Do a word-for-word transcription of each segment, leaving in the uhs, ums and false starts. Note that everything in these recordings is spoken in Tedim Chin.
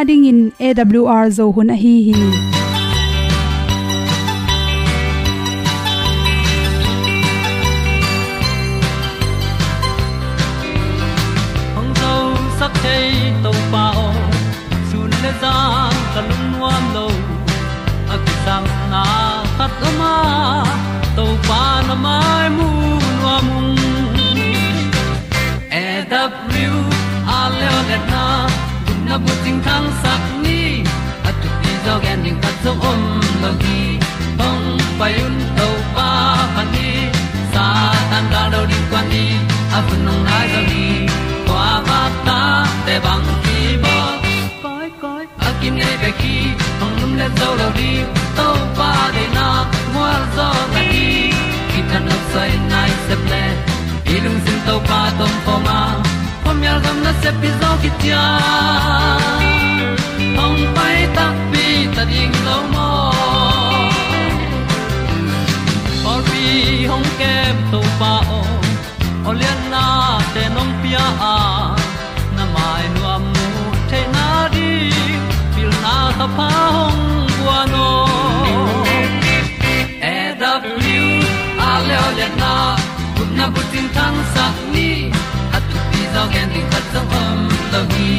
Adingin A W R Zo hun ahi hi. Hong zosak thei Topa aw, sun le zan ka lungnuam lo, a kisangna khat om a, Topa na mai mu nuam ung. A W R leo letna, gupna bucing thangsak ni, a thupi zaw gen ding khat zong om lo hi. Hong pai un Topa phat ni, Satan gal do ding kuan ni, a hun hong nai zaw hi. Kua vak ta te bang ki bawl, koi koi a kinei bek hi. Hong lum le zo lo ding, Topa deihna gualzawhna ding, kithanuam soi nai sep le, i lungsim Topa tawh om khawm a, khuamial gam nasep hi zaw hi ciang, hong pai takpi ta ding lo maw? Pawlpi hong kem Topa aw, aw lianna te nong pia a, na mai nuam mu theihna ding, pilna thapha hong guan aw. A W R leo letna, gupna bucing thangsak ni, a thupi zaw gen ding khat zong om lo hi.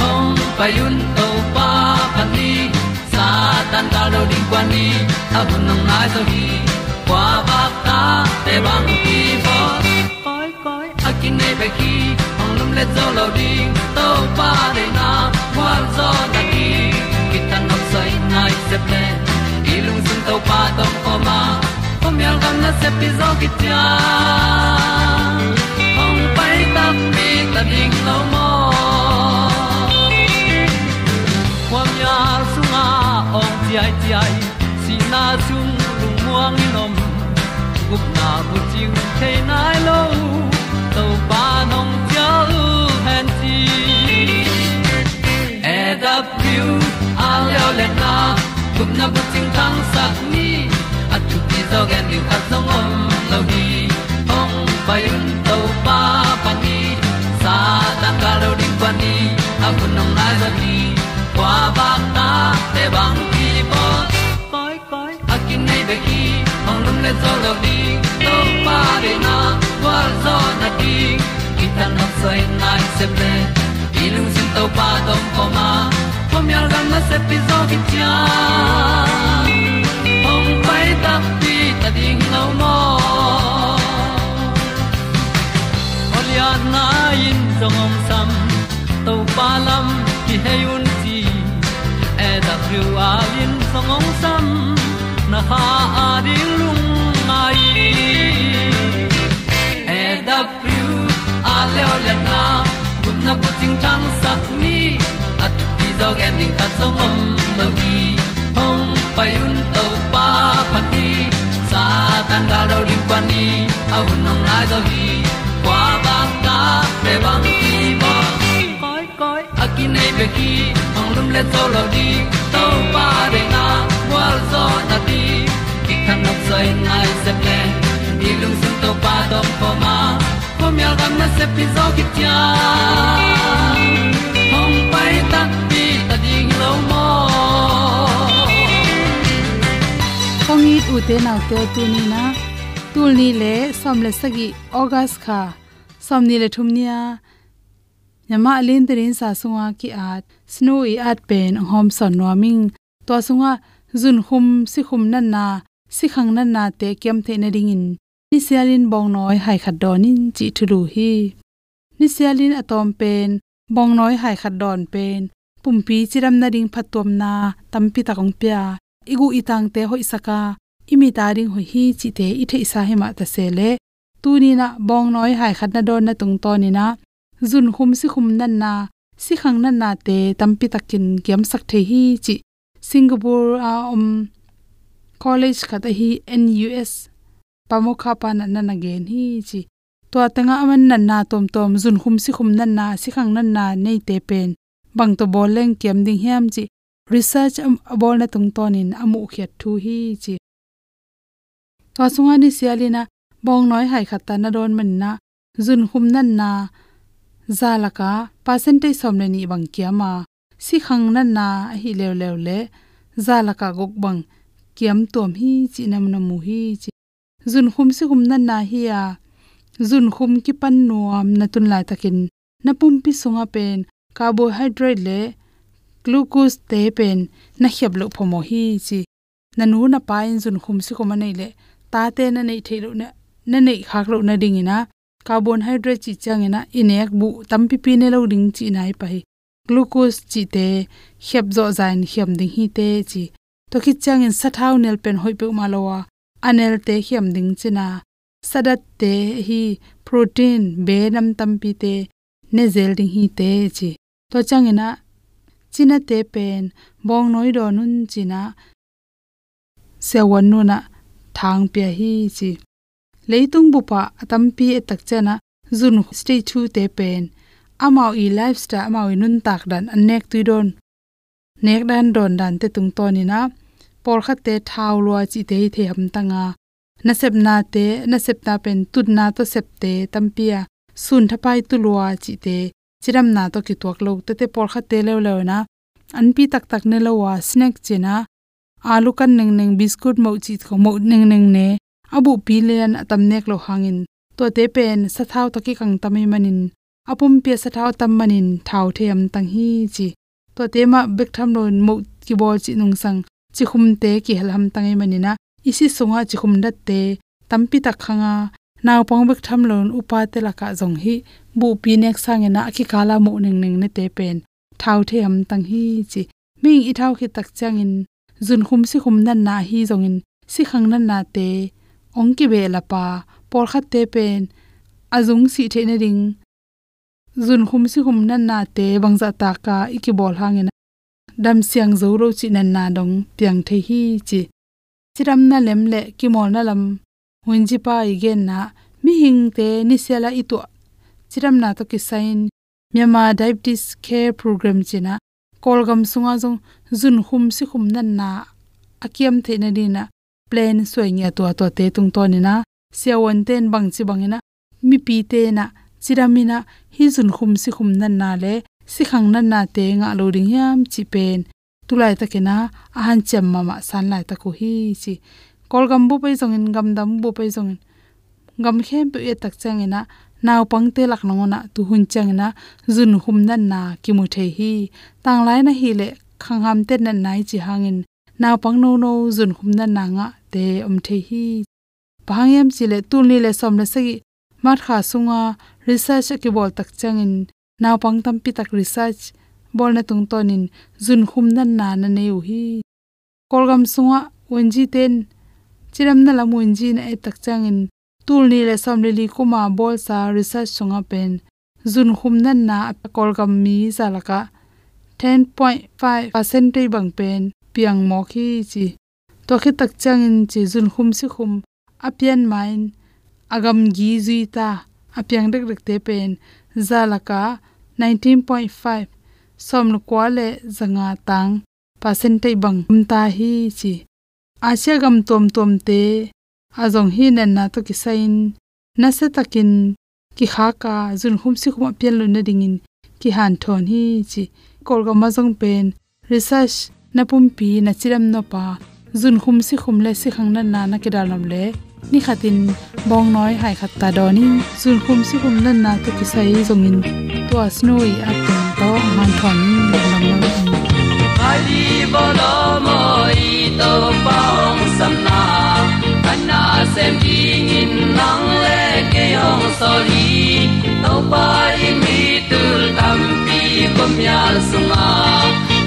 Hong pai un Topa phat ni, Satan gal do ding kuan ni, a hun hong nai zaw hi. Kua vak ta te bang ki bawl, koi koi a kinei bek hi. Hong lum le zo lo ding, Topa deihna gualzawhna ding, kithanuam soi nai sep le, i lungsim Topa tawh om khawm a, khuamial gam nasep hi zaw hi ciang, hong pai takpi ta ding lo maw? Khuamial sungah awng ciaiciai, sihna sung lungmuang in om, gupna bucing thei nai lo, Topa nong cial hen ci. A W R leo letna, gupna bucing thangsak ni, a thupi zaw gen ding khat zong om lo hi. Hong pai un Topa phat ni, Satan gal do ding kuan ni, a hun hong nai zaw hi. Kua vak ta te bang ki bawl, koi koi a kinei bek hi. Hong lum le zo lo ding, Topa deihna gualzawhna ding, kithanuam soi nai sep le, i lungsim Topa tawh om khawm a, khuamial gam nasep hi zaw hi ciang, hong pai takpi ta ding lo maw? Aw lianna in zong hong sam, Topa lam kihei un ci, A W R in zong hong sam, na kha a ding lungngai. A W R leo letna, gupna bucing thangsak ni, a thupi zaw gen ding khat zong om lo hi. Hong pai un Topa phat ni, Satan gal do ding kuan ni, a hun hong nai zaw hi. Kua vak ta te bang ki bawl, koi koi a kinei bek hi. Hong lum le zo lo ding, Topa deihna gualzawhna ding, kithanuam soi nai sep le, i lungsim Topa tawh om khawm a, khuamial gam nasep hi zaw hi ciang, hong pai takpi ta ding lo maw? Kong it ute naute, tuni-in ah, tul nih le sawm le sagih August kha, sawmnih le thum ni-a Myanmar a lin tadinsa sunga ki-at, snu i at pen hong hawmsawn nuam ing. Tua sungah zunkhum sikhum natna, sikhang natnate kiam theih nadingin nisialin bawngnawi hai khat dawn in cih thulu hi. Nisialin a tawm pen bawngnawi hai khat dawn pen pumpi cidam nading phattuamna tampi tak hong pia, i guh i tangte hoihsak a, i mit a ding hoih hi cihte i theihsa hi mah ta se leh, tuni-in ah bawngnawi hai khat na dawnna tungtawnin ah zunkhum sikhum natna, sikhang natnate tampi takin kiamsak thei hi cih Singapore a om college khat ahi N U S pamokha pa natna na gen hi ci. Tua tengah aman natna tuamtuam, zunkhum sikhum natna, sikhang natna neite pen bang tawh bawl leng kiam ding hiam cih research a, a bawlna tungtawnin a muhkhiat thu hi ci. Tua sungah nisialin ah bawngnawi hai khat ta na dawn manin ah zunkhum natna za lakah percentage sawm le nih bang kiam a, sikhang natna ahi leuleu le za lakah guk bang kiamtuam hi cih na mu hi ci. Zunkhum sikhum natna hi a, zunkhum kipan nuam na tun laitakin na pumpi sungah pen carbohydrate le glucose te pen na khiap loh phamawh hi ci. Na nu na pa in zunkhum sikhum a neih leh tate na neih theih loh na, na neih khak loh nadingin ah carbohydrate cih ciangin ah i nek buh tampipi ne lo ding cihna hi pah hi. Glucose cihte khiap zawhza in khiam ding hi te ci. Tua khit ciangin sathau nel pen hoih peuhmah lo a, a nelte khiam ding cihna. Sadatte hi protein, be nam tampite ne zel ding hi te ci. Tua ciangin ah cinate pen bawngnawi dawn un cihna siavuan nu in ah thang pia hi ci. Leitung bup ah a tampi et tak ciangin ah zun stage two te pen amau i lifestyle, amau i nuntak dan an nek tui dawn, nek dan dawn dante tungtawnin ah pawlkhatte thau lua cihte hi thei hamtang a, nasepnate, nasepna pen tutna tawh septe tampi a, sun thapai tu lua cihte, cidamna tawh kituak lo tete pawlkhatte leuleu in ah anpi taktak ne lo a, snack cihna, alu kan nengneng, biscuit moh cih khong moh nengneng ne, a buhpi lian a tam nek loh hangin tuate pen sathau tawh kikang tam ahih manin a pumpi ah sathau a tam manin thau thei hamtang hi ci. Tuate mah bek tham loin moh kibawl cih nungsang cikhumte kihel hamtang ahih manin ah i si sungah cikhum datte tampi tak khang a, naupang bek tham loin upate lakah zong hih buhpi nek sangin ah a kikal a moh nengneng nete pen thau thei hamtang hi ci. Mihing i thau khit tak ciangin zunkhum sikhum natna ahi zongin sikhang natnate hong kibehlap a, pawlkhatte pen a zung sih theih nading zunkhum sikhum natnate bangzah tak a i kibawl hangin ah damsiang zo lo cih natna dong piang thei hi ci. Cidamna lem le kimawlna lam Wenji pa i genna, mihingte nisial a i tuah cidamna tawh kisai-in Myanmar Diabetes Care Program cihna Kawlgam sungah zong zunkhum sikhum natna a kiam theih nadingin ah plan suai ngiat uh a, tuate tungtawnin ah siavuante in bangci bangin ah mipite in ah cidamin ah hih zunkhum sikhum natna le sikhang natnate ngah lo ding hiam cih pen tu laitakin ah a hanciam mahmah san laitak uh hi ci. Kawlgam bup ahi zongin, gamdang bup ahi zongin, gam khempeuh i et tak ciangin ah naupangte lak nangawn ah tuhun ciangin ah zunkhum natna kimu thei hi. Tanglai na hih leh khanghamte natna i cih hangin naupang nono zunkhum natna ngahte om thei hi. Bang hang hiam cih leh tul nih le sawm le sagih March kha sunga research a kibawl tak ciangin naupang tampi tak research bawlna tungtawnin zunkhum natna na nei uh hi. Kawlgam sungah Wenji ten cidamna lam Wenji na et tak ciangin tul nih le sawm le li kuma bawlsa research sungah pen zunkhum natna a Kawlgam mi za lakah ten point five percent bang pen piang mawk hi ci. Tua khit tak ciangin ci zunkhum sikhum a pian ma-in a gamgi zui ta a piang dekdekte pen za lakah nineteen point five, sawm le kua le za nga tang percentage bang om ta hi ci. Asia gam tuamtuamte a zong hih natna tawh kisai-in nasiatakin kikhak a zunkhum sikhum a pian loh nadingin kihanthawn hi ci. Kawlgam ah zong pen research na pumpi na cidam nop a zunkhum sikhum le sikhang natna na kidal nop le ni khatin bawngnawi hai khat ta dawn in zunkhum sikhum natna tawh kisai zongin tua snu i at teng tawh hanthawn in lungdam lo in. Adi bolo mo i Topa hong samna, a nasem dingin nang le kei hong sawl hi. Topa i mi tul tampi khuamial sunga,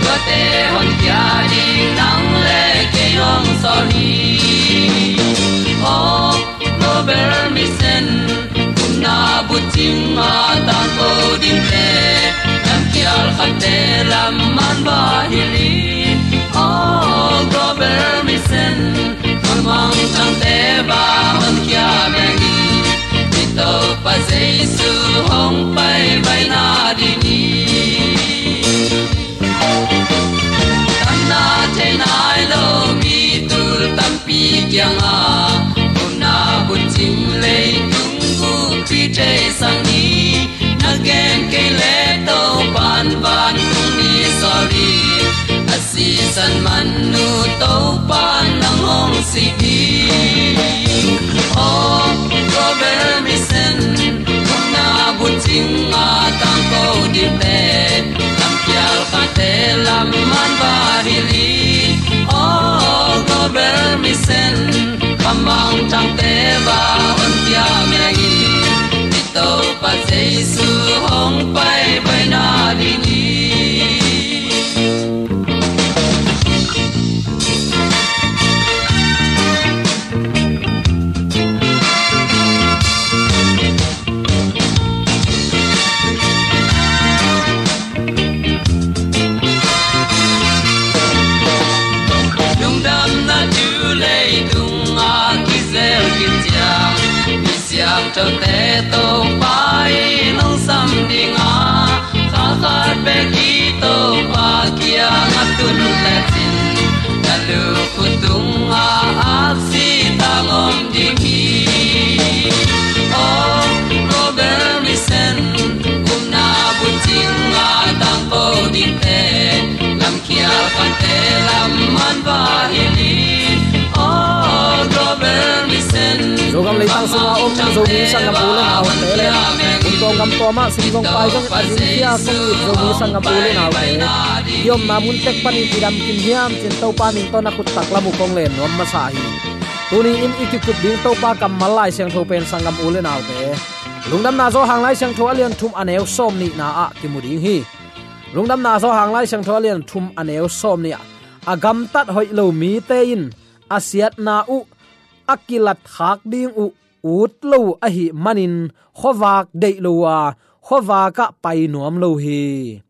tuate honkhia ding nang le kei hong sawl hi. Oh, Global Mission, upna bucing a tangko dingte, lamkhial khatte lam man va hilh hi. Oh, Global Mission, a mangthangte va honkhia beng hi. I Topa Jesu hong pai bai nading hi. Tamna thei nai lo mi tul tampi kiangah, upna bucing leitung bup Khrih thei sang ni. Na gen kei le Topa'n vantung mi sawl Lamkial khate lam man va hilh hi. Aw Global Mission, kamang thangte va hong kia meng in, i Topa Jesu hong pai baina ding hi. Lungdamna thu leitung a kizel khin ciang, mi siangthote Topa in hong sam ding a, kha khat bek i Topa kiang a tun lecin, na lukhu tungah aksi tang om ding hi. Aw Global Mission, upna bucing a tangko dingte, lamkial khate lam man va hilh hi. Aw Global Mission, Zogam leitang sungah om Zomi sanggam u le naute le, kumtuang gam tuam ah sum zong pai zong a dingkhia kong it Zomi sanggam u le naute, i omna mun tek panin i dam kim hiam cin Topa min tawh na khut taklam uh kong len nuam masa hi. Tuni in i kikup ding Topa kammal Lai Siangtho pen sanggam u le naute, Lungdamna Johan Lai Siangtho a lian thum a neu sawm nihna ah kimu ding hi. Lungdamna Johan Lai Siangtho a lian thum a neu sawm nih ah, a gamtat hoih lo mite in a siatna uh a kilatkhak ding uh ut lo uh ahih manin khuavak deih lo uh a, khuavak ah pai nuam lo hi.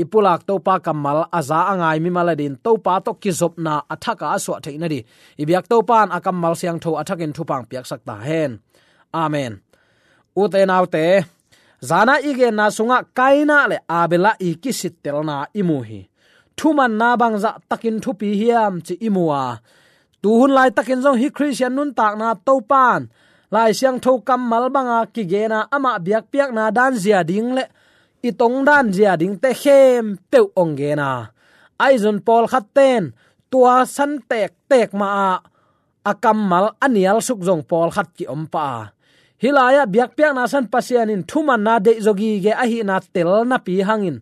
I pulak Topa kammal a za a ngai mimal adingin Topa tawh kizopna a thak a suah theih nading i biak Topa in a kammal siangtho a thakin thupha piaksak ta hen. Amen. Ute naute, zana i genna sungah Kaina le Abela i kisittelna i mu hi. Thumanna bangzah takin thupi hiam ci i mu a, tuhun laitakin zong hih Khristian nuntakna Topa in Lai Siangtho kammal banga kigen a, amah biakpiakna dan zia ding le i tongdan zia dingte khempeuh hong gen a, ahi zong pawlkhatte in tua san tektek mah ah a kammal a nialsuk zong pawlkhat ki-om pah a, hih lai-ah biakpiakna san Pasian in thumanna deihzaw gige ahihna tel napi hangin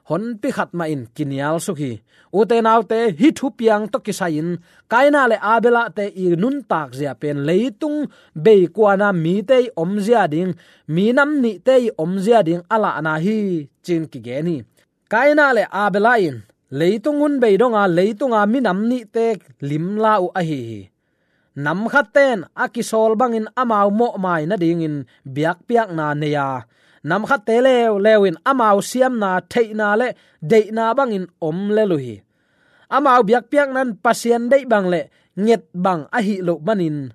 honpi khat mah in kinialsuk hi. Ute naute, hih thupiang tawh kisai-in Kaina le Abelahte i nuntak zia pen leitung beikuana mite i om zia ding, minam nihte i om zia ding a lahna hi ci-in kigen hi. Kaina le Abela in leitung hun bei donga leitunga minam nihte limla uh ahi hi. Namkhatte in a kisawl bangin amau mawhmai nadingin biakpiakna nei a, namkhatte leuleu in amau siamna, theihna le deihna bangin om lel uh hi. Amau biakpiakna in Pasian deih bang le nget bang ahih loh manin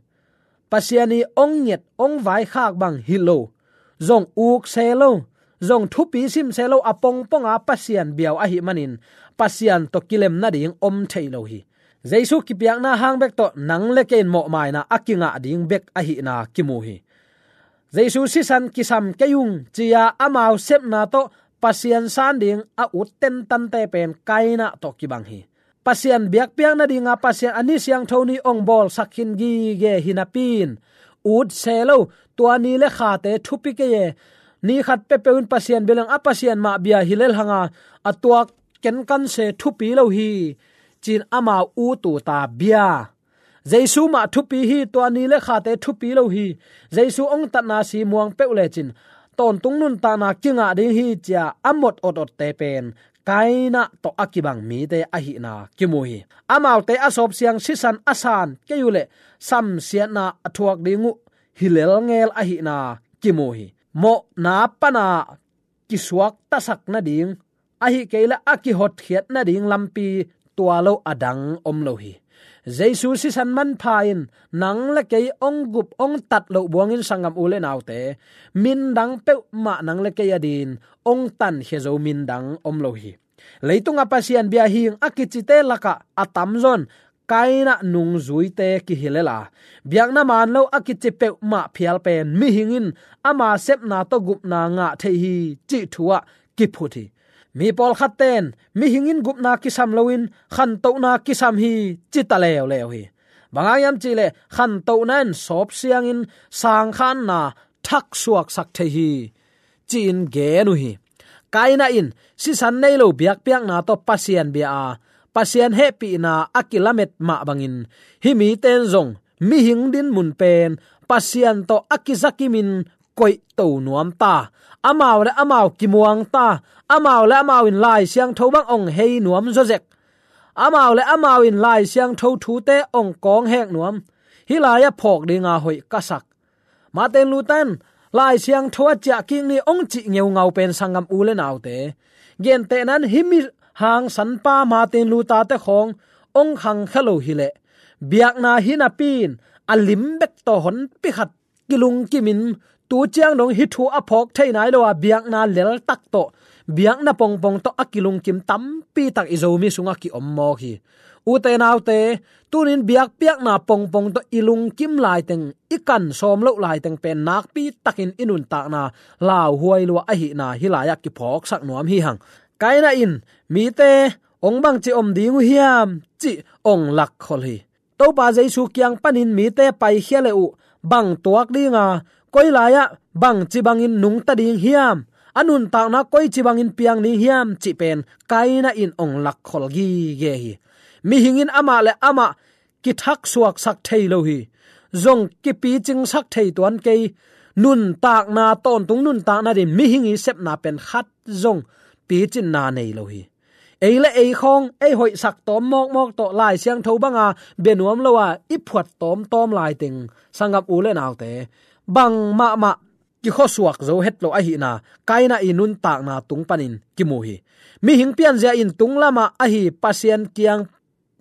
Pasian i ong nget ong vaikhak bang hi lo, zong uk se lo, zong thupi sim se lo, a pongponga Pasian biau ahih manin Pasian tawh kilem nading om thei lo hi. Jesu kipiakna hang bek tawh nang le kei in mawhmaina a kingah ding bek ahihna kimu hi. Jesu sisan kisam kei ung ci-a amau sepna tawh Pasian san ding a ut tentante pen Kaina tawh kibang hi. Pasian biakpiak nadinga Pasian a ni siangtho ni ong bawlsak khin gige hi napi-in ut se lo, tua ni le khate thupi kei e, ni khat peuhpeuh in Pasian bia leng a Pasian mah bia hi lel hanga a tuak kenkan se thupi lo hi, ci-in amau ut uh ta bia. Jesu mah thupi hi, tua ni le khate thupi lo hi. Jesu ong tatna si muang peuh lecin tawntung nuntakna kingah ding hi ci-a a mot ototte pen Kaina tawh a kibang mite ahihna kimu hi. Amaute a sawpsiang sisan a san kei uh leh samsiatna a thuak ding uh hi lelngel ahihna kimu hi. Mawhna pana kisuaktasak nading, ahih kei leh a kihotkhiat nading lampi tua lo a dang om lo hi. Jesu sisan manpha in nang le kei ong gup ong tat loh buangin sanggam u le naute, min dang peuhmah nang le kei adingin ong tankhia zo min dang om lo hi. Leitunga Pasian bia hing a kicite lakah a tamzaw in Kaina nungzuite kihi lel a, biakna man lo a kici peuhmah phial pen mihing in ama sepna tawh gupna ngah thei hi cih thu ah kiphut hi. Mi pawlkhatte in mihing in gupna kisam loin khantohna kisam hi ci ta leuleu hi. Bang hang hiam cih leh khantohna in sawpsiangin sangkhanna thaksuaksak thei hi, ci-in gen uh hi. Kaina in sisan nei lo biakpiakna tawh Pasian bia a, Pasian hehpihna a kilamet mah bangin, hih mite in zong mihing dinmun pen Pasian tawh a kizakimin koihto nuam ta. Amau le amau kimuang ta. Amau le amau in Lai Siangtho bang ong hei nuam zawzek. Amau le amau in Lai Siangtho thute ong kawng hek nuam. Hih lai-ah phawk dinga hoih ka sak. Martin Luther in Lai Siangtho a ciah kik ni ong cih ngeungau pen sanggam u le naute, gentehna in hih mi hangsanpa Martin Luther te khawng ong khangkhia lo hileh, biakna hi napi in a lim bek tawh honpi khat kilungkimin, tu ciang dong hih thu a phawk thei nai lo a, biakna leltak tawh, biakna pongpong tawh a kilungkim tampi tak i Zomi sungah kiom mawk hi. Ute naute, tunin biakpiakna pongpong tawh i lungkim laiteng, i kan sawm loh laiteng pen nakpi takin i nuntakna lauhuai lua ahihna hih lai-ah kiphawksak nuam hi hang. Kaina in mite ong bangci om ding uh hiam cih ong lakkhol hi. Topa Jesu kiang panin mite paikhia le uh, bang tuak dinga, koi lai-ah bangci bangin nungta ding hiam, a nuntakna koici bangin piang ding hiam cih pen Kaina in ong lakkhol gige hi. Mihing in amah le amah kithaksuaksak thei lo hi. Zong kipicingsak thei tuan kei. Nuntakna, tawntung nuntakna ding mihing i sepna pen khat zong picinna nei lo hi. Ei le ei khawng ei hoihsak tawm mawkmawk tawh Lai Siangtho banga bia nuam lo a i phuat tawmtawm laiteng, sanggam u le naute, bang mahmah kikhuasuak zo het lo ahihna Kaina i nuntakna tung panin kimu hi. Mihing pianzia in tung lamah ahi Pasian kiang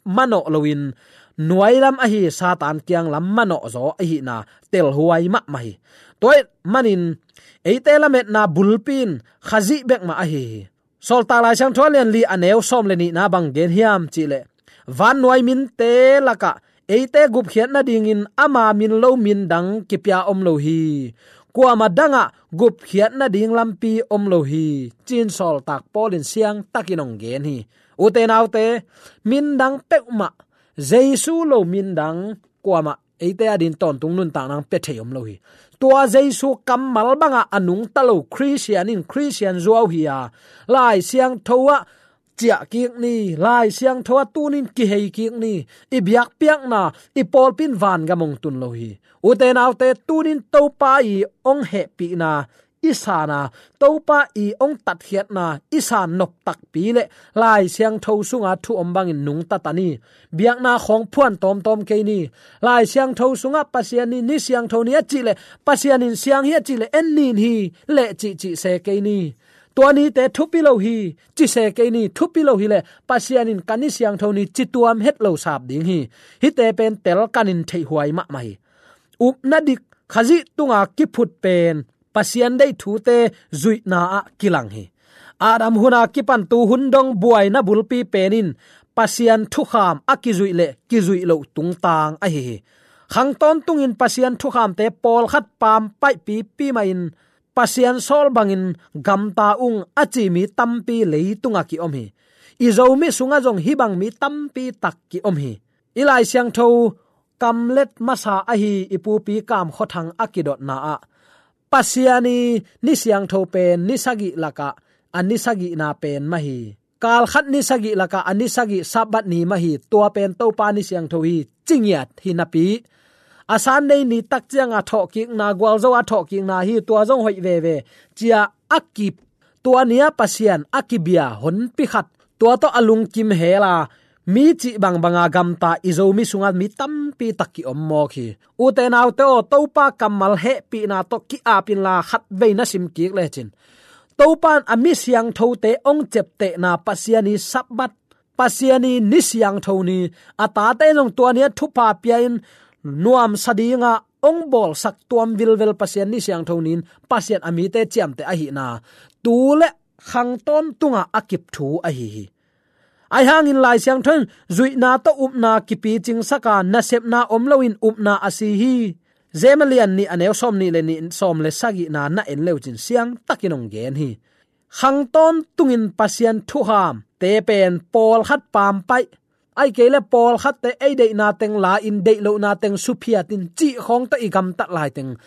manawh loin, nuailam ahi Satan kiang lam manawh zaw ahihna telhuai mahmah hi. Tua ahih manin eite lametna bulpi in Khazih bek mah ahi hi. Sawltak Lai Siangtho a lian li a neu sawm le nihna bang gen hiam cihleh, vannuai minte lakah eite gupkhiat nadingin ama min lo min dang kipia om lo hi. Kuamah dangah gupkhiat nading lampi om lo hi, ci-in Sawltak Paul in siangtakin ong gen hi. Ute naute, min dang peuhmah, Jesu lo min dang kuamah eite adin tawntung nuntakna pia thei om lo hi. Tua Jesu kammal bangah a nungta lo Khristian in Khristian zuau hi a, Lai Siangtho ah ciah kik ni, Lai Siangtho ah tunin kihei kik ni, i biakpiakna, i pawlpi in vangam ong tun lo hi. Ute naute, tunin Topa i ong hehpihna i san a, Topa i ong tatkhiatna i san nop takpi le Lai Siangtho sunga thu om bangin nungta ta ni. Biakna khawng phuan tawmtawm kei ni. Lai Siangtho sungah Pasian ni, ni siangtho ni a cihleh, Pasian in siang hi a cihleh, en nin hi leh cihcih se kei ni. Tua nite thupi lo hi, ci se kei ni. Thupi lo hileh, Pasian in ka ni siangtho ni, ci tuam het lo sap ding hi. Hihte pen telkanin theihhuai mahmah hi. Upna dik, Khazih tunga kiphut pen Pasian deih thute zuihna ah kilang hi. Adam huna kipan tu hun dong buaina bulpi pen in Pasian thukham a kizuih le kizuih loh tungtang ahi hi. Khang tawntungin Pasian thukhamte pawlkhat pampaih pipi mahin, Pasian sawl bangin gamta ung a ci mi tampi leitungah kiom hi. I Zomi sungah zong hih bang mi tampi tak kiom hi. I Lai Siangtho kamlet masa ahi i pupi Kam Khua Thang a kidotna ah, Pasian i ni siangtho pen ni sagih lakah a ni sagihna pen mah hi. Kal khat ni sagih lakah a ni sagih Sabbath ni mah hi. Tua pen Topa ni siangtho hi, ci ngiat hi napi, a Sunday ni tak cianga thawhkikna, gualzo a thawhkikna hi, tua zong hoih veve, ci-a a kip, tua ni-a Pasian a kibia honpi khat, tua tawh a lungkim hela, mi cih bangbanga gamta i Zomi sungah mi tampi tak kiom mawk hi. Ute naute aw, Topa kammal hehpihna tawh ki-ap inla, khatvei na sim kik lecin, Topa in a mi siangthote ong ceptehna Pasian i Sabbath, Pasian i ni siangtho ni, a tate zong tua ni-a thupha pia-in nuamsa dinga ong bawlsak tuam vilvel Pasian ni siangtho ni-in Pasian a mite ciamteh ahihna tu le khang tawntunga a kip thu ahi hi. Ahi hangin Lai Siangtho in zuihna tawh upna kipicingsak a, nasepna om loin upna a si hi. James a lian nih a neu sawm nih le nih, sawm le sagihna na en leucin siangtakin ong gen hi. Khang tawntungin Pasian thuhamte pen pawlkhat pampaih, ahih kei le pawlkhatte ei deihna teng la-in, deih lohna teng suphiatin, cih khawng tawh i gamtat laiteng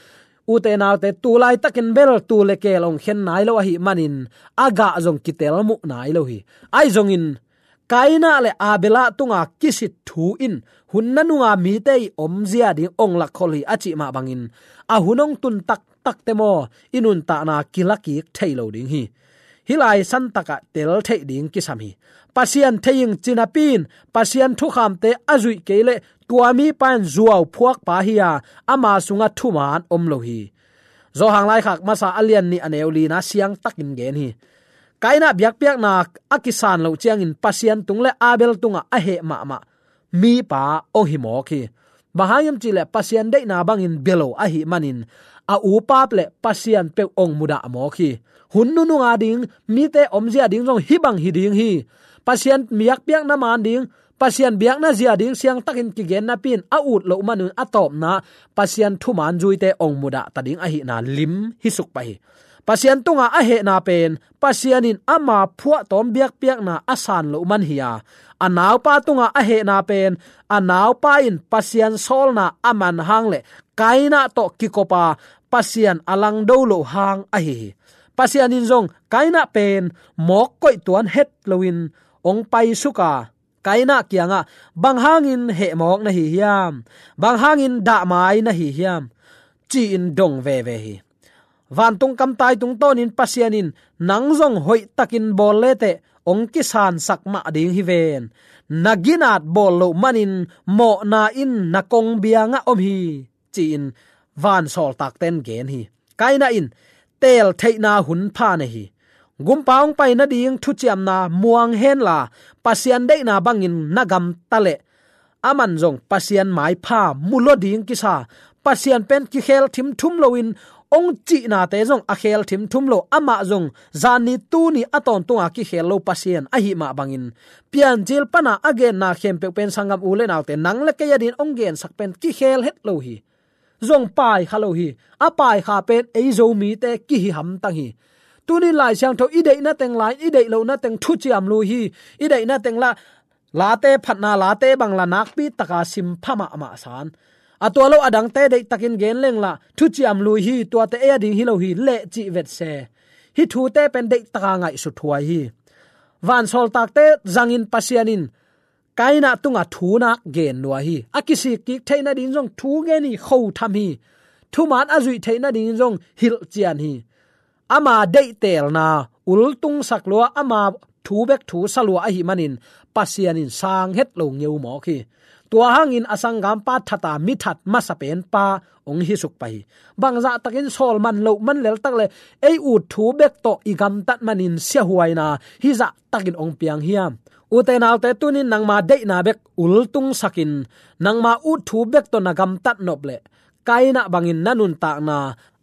Ute naute, tu laitakin bel tu le keel hong khen nai lo ahih manin a gah zong kitel muh nai lo hi. Ahi zongin Kaina le Abela tunga kisit thu in hun nanunga mite i omzia ding hong lakkhol hi a cih mah bangin a hun hong tun taktakte maw i nuntakna kilakik thei lo ding hi. Hih lai santakah tel theih ding kisam hi. Pasian thei ing ci napi in Pasian thukhamte a zuih kei leh tua mipa in zuau phuakpa hi a, ama sungah thuman om lo hi. Johan Laikhak Masa a lian nih a neu lina siangtakin gen hi. Kaina biakpiakna a kisan loh ciangin Pasian tung le Abel tungah a heh mahmah mipa hong hi mawk hi. Bang hang hiam cihleh Pasian deihna bangin bia lo ahih manin a upa le Pasian peuh hong mudah mawk hi. Hun nununga ding, mite omzia ding zong hih bang hi ding hi. Pasian biakpiakna man ding, Pasian biakna zia ding siangtakin kigen napi in a ut loh manun a tawpna Pasian thuman zuite hong mudah ta ding ahihna lim hi suk pah hi. Pasian tunga a hehna pen Pasian in ama phuahtawm biakpiakna a san loh man hi a, a naupa tunga a hehna pen a naupa in Pasian sawlna a man hang le Kaina tawh kikopa Pasian a langdo loh hang ahi hi. Pasian in zong Kaina pen mawk koih tuan het loin hong paisuk a, Kaina kiangah, "Bang hangin hehmawk na hi hiam? Bang hangin dahmai na hi hiam?" ci-in dong veve hi. Vantung kamtai tungtawnin Pasian in, "Nang zong hoihtakin bawl leteh hong kisansak mah ding hi ven. Na ginat bawl loh manin mawhna in na kongbiangah om hi," ci-in vansawltakten gen hi. Kaina in teel theihna hun pha nei hi. Gumpa hong pai nading thuciamna muang henla, Pasian deihna bangin na gamta leh aman zong Pasian maipha mu lo ding kisa. Pasian pen kikhel thimthum loin hong cihnate zong a khel thimthum lo, amah zong zanni tuni a tawntunga kikhel lo Pasian ahih mah bangin Piancil pana a genna khempeuh pen sanggam u le naute, nang le kei adin hong gensak pen kikhel het lo hi. Zong paikha lo hi. A paikha pen ei Zomite kihi hamtang hi. Tunin Lai Siangtho i deihna teng la, i deih lohna teng thuciam lui hi. I deihna teng la, late phatna, late bang la nakpi taka sim pha mahmah san. A tua lo adangte deihtakin gen leng la, thuciam lui hi, tuate ei a ding hi lo hi, leh cih vet se. Hih thute pen deihtaka ngaihsut huai hi. Vansawltakte zangin Pasian in Kaina tunga thunak gen lua hi. A kisikkik theih nading zong thu gen hi, khotham hi. Thuman a zuih theih nading zong hilhcian hi. Ama deihtelna ultungsak lua, ama thu bek thusa lua ahih manin Pasian in sang het lo ngeu mawk hi. Tua hangin a sanggampa thata mithat masa penpa hong hi suk pah hi. Bangzahtakin sawl man loh man leltak le ei ut thu bek tawh i gamtat manin siahuaina hih zahtakin hong piang hiam? Ute naute, tunin nangma deihna bek ultungsakin nangma ut thu bek tawh na gamtat nop leh Kaina bangin na nuntakna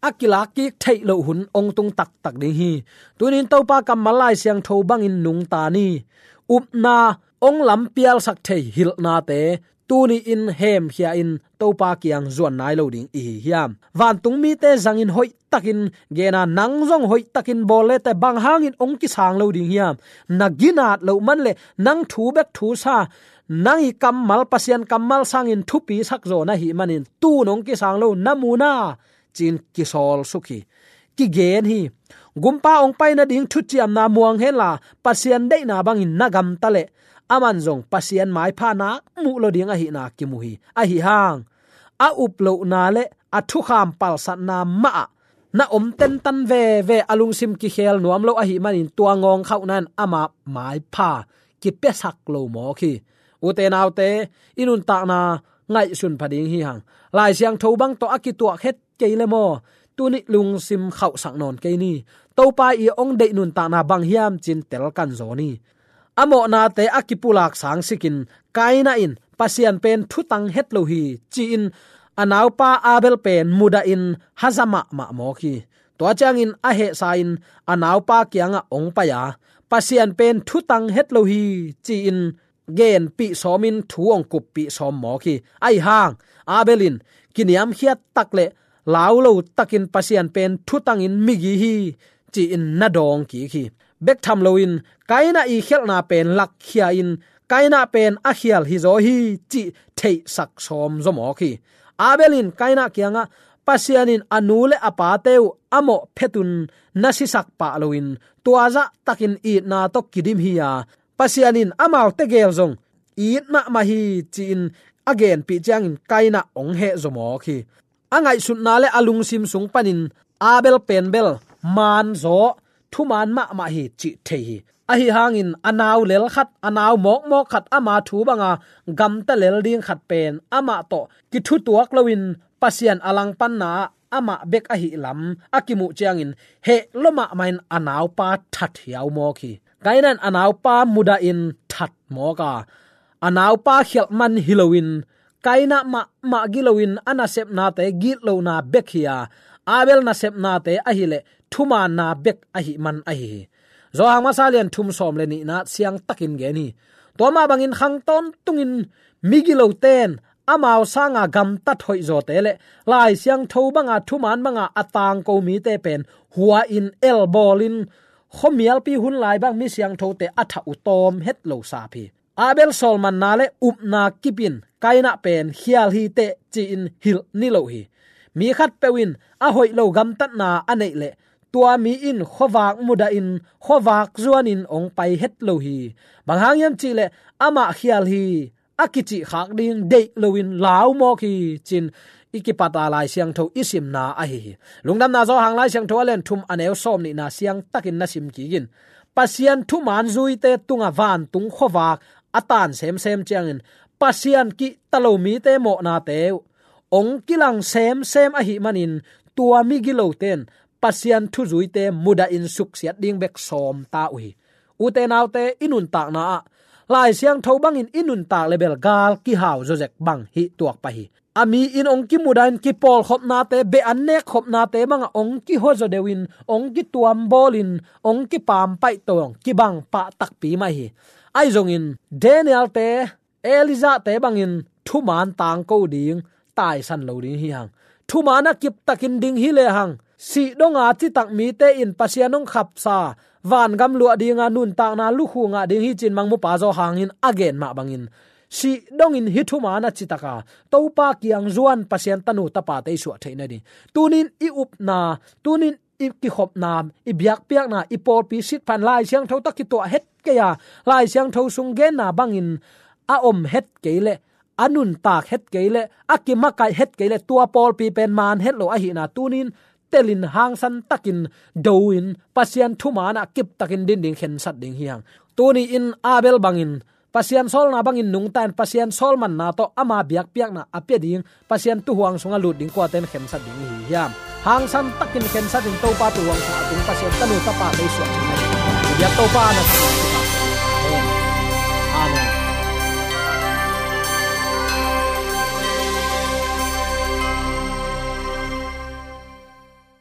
a kilakkik theih loh hun hong tung taktak ding hi. Tunin Topa kammal Lai Siangtho bangin nungta ni. Upna hong lampialsak thei hilhnate tuni-in hemkhia-in Topa kiang zuan nai lo ding i hi hiam? Vantung mite zangin hoihtakin gena, nang zong hoihtakin bawl leteh bang hangin hong kisang lo ding hiam? Na ginat loh man le nang thu bek thusa, nang i kammal, Pasian kammal sangin thupi sak zaw na hih manin tun hong kisang lo na mu na, ci-in kisawl suk hi. Kigen hi. Gumpa hong pai nading thuciamna muang henla, Pasian deihna bangin na gamta leh aman zong Pasian maipha nak muh lo ding ahihna kimu hi. Ahi hang a up lohna le a thukham palsatna mahah na om tentan veve, a lungsim kikhel nuam lo ahih manin tua ngawngkhauhna in ama maipha kipiasak lo mawk hi. Ute naute, i nuntakna ngaihsun pha ding hi hang. Lai Siangtho bang tawh a kituak het kei le maw? Tuni lungsim khauhsak nawn kei ni. Topa i hong deih nuntakna bang hiam, ci-in tel kan zaw ni. A mawhnate a kipulak sangsikin Kaina in Pasian pen thutang het lo hi, ci-in a naupa Abel pen mudahin haza mahmah mawk hi. Tua ciangin a hehsa-in a naupa kiangah hong pai a, Pasian pen thutang het lo hi, ci-in genpih sawmin thu hong kuppih sawm mawk hi. Ahi hang Abel in kiniamkhiat tak le lau lo takin Pasian pen thutangin migi hi, ci-in na dawng kik hi. Bek tham loin Kaina i khialhna pen lakkhia-in Kaina pen a khial hi zaw hi, cih theihsak sawm zaw mawk hi. Abel in Kaina kiangah Pasian in a nu le a pate uh a mawh phetun na sisak pah loin, tua zahtakin itna tawh kidim hi a, Pasian in amaute gel zong it mahmah hi ci-in a genpih ciangin Kaina hong hehzaw mawk hi. A ngaihsutna le a lungsim sung panin Abel pen bel maan zaw, thumaan mahmah hi cih thei hi. Ahi hangin a nau lel khat, a nau mawkmawk khat, ama thu banga gamta lel ding khat pen amah tawh kithutuak loin Pasian a langpanna ah amah bek ahih lam a kimuh ciangin heh lua mahmah in a naupa that hiau mawk hi. Kaina in a naupa mudahin that mawk a, a naupa khialh man hi loin, Kaina mahmah giloin a nasepnate gitlona bek hi a, Abel nasepnate ahileh thumaanna bek ahih man ahi hi. Johan masa lian thum sawm le nihna siangtakin gen hi. Tua mah bangin khang tawntungin migilote in amau sanga gamtat hoihzawte le Lai Siangtho banga thumaan banga a tangko mite pen hua-in elbawlin khuamialpi hun lai bang mi siangthote a thah uh tawm het lo sap hi. Abel sawlmanna le upna kip in Kaina pen khial hi teh ci-in hilh ni lo hi. Mi khatpeuh in a hoih lo gamtatna a neih leh tua mi in khuavak mudahin khuavak zuanin hong pai het lo hi. Bang hang hiam cihleh amah khial hi a kicih khak ding deih loin lau mawk hi ci-in i kipat a Lai Siangtho i simna ahi hi. Lungdamna Johan Lai Siangtho a lian thum a neu sawm nihna siangtakin na sim kik in. Pasian thumaan zuite tunga vantung khuavak a tan semsem ciangin Pasian kihta lo mite mawhnate uh hong kilang semsem ahih manin tua migilote in Pasian thuzuite mudahin suksiat ding bek sawm ta uh hi. Ute naute, i nuntakna ah Lai Siangtho bangin i nuntak le bel gal kihau zawzek bang hih tuak pah hi. A mi in hong kimudahin kipawlkhopnate, beh an nekkhopnate bangah hong kihuazaw deuhin, hong kituambawlin, hong kipampaih tawh hong kibang pah takpi mah hi. Ahi zongin Daniel-te, Elijah-te bangin thumaan tangko ding, taisan lo ding hi hang. Thumaan a kiptakin ding hi lehang, sih donga citak mite in Pasian hong khapsa vangam luah dinga nuntakna lukhu ngah ding hi ci-in Mangmupa Johan in a gen mah bangin, sih dongin hih thumaan a citaka Topa kiang zuan Pasian tanu tapate i suah theih nading. Tunin i upna, tunin i kikhopna, i biakpiakna, i pawlpi sitphan Lai Siangtho tawh kituah het kei a, Lai Siangtho sung genna bangin a om het kei leh, a nuntak het kei leh, a kimakaih het kei leh, tua pawlpi pen maan het lo ahihna tunin telin hangsan takin do-in Pasian thumaanah kiptakin din ding khensat ding hi hang. Tuni-in Abel bangin Pasian sawlna bangin nungta in Pasian sawlmanna tawh ama biakpiakna a pia ding, Pasian tuuhuang sungah lut ding kuate in khensat ding i hi hiam? Hangsan takin khensat in Topa tuuhuang sungah a tung Pasian tanu tapate i suah ding hi. I biak Topa na